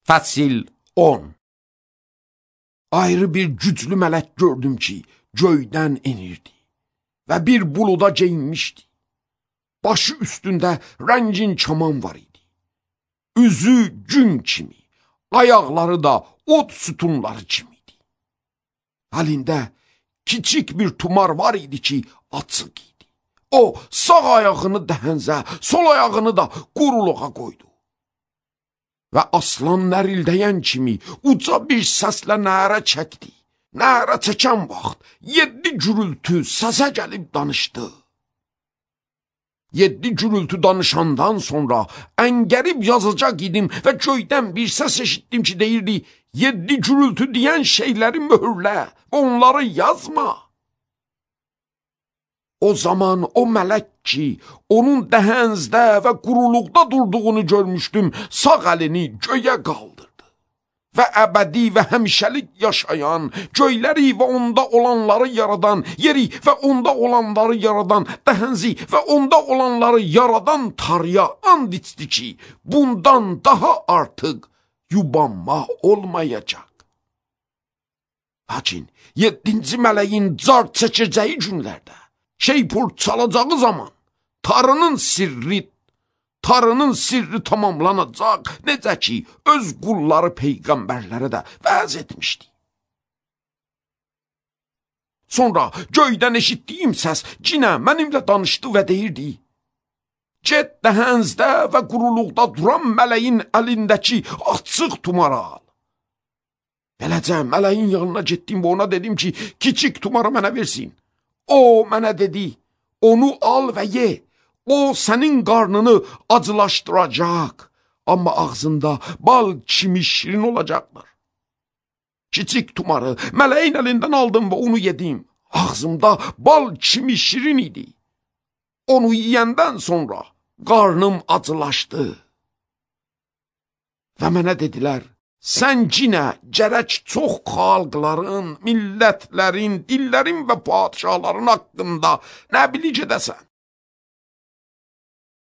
Fəsil 10. Ayrı bir güclü mələk gördüm ki, göydən enirdi və bir buluda geyinmişdi. Başı üstündə rəngin kaman var idi. Üzü gün kimi, ayaqları da od sütunları kimiydi. Əlində kiçik bir tumar var idi ki, açıq idi. O, sağ ayağını dəhənzə, sol ayağını da quruluğa qoydu. Və aslan nərildəyən kimi uca bir səslə nərə çəkdi. Nərə çəkən vaxt 7 gürültü səsə gəlib danışdı. 7 gürültü danışandan sonra əngərib yazacaq idim və göydən bir səs eşitdim ki, deyirdi, 7 gürültü deyən şeyləri möhürlə və onları yazma. O zaman o mələk ki, onun dəhənzdə və quruluqda durduğunu görmüşdüm, sağ əlini göyə qaldırdı və əbədi və həmişəlik yaşayan, göyləri və onda olanları yaradan, yeri və onda olanları yaradan, dəhənzi və onda olanları yaradan Tanrıya and içdi ki, bundan daha artıq yubanma olmayacaq. Lakin 7-ci mələyin car çəkəcəyi günlərdə, şeypur çalacağı zaman Tanrının sirri tamamlanacaq, necə ki, öz qulları peyğəmbərlərə də vəz etmişdi. Sonra göydən eşitdiyim səs cinə mənimlə danışdı və deyirdi, get dəhənzdə və quruluqda duran mələyin əlindəki açıq tumara al. Beləcə mələyin yanına getdim və ona dedim ki, kiçik tumarı mənə versin. O mənə dedi, onu al və ye. O sənin qarnını acılaşdıracaq, amma ağzında bal kimi şirin olacaqdır. Kiçik tumarı mələyin əlindən aldım və onu yedim. Ağzımda bal kimi şirin idi. Onu yiyəndən sonra qarnım acılaşdı. Və mənə dedilər, sən cinə gərək çox xalqların, millətlərin, dillərin və padişahların haqqında nə bilik edəsən.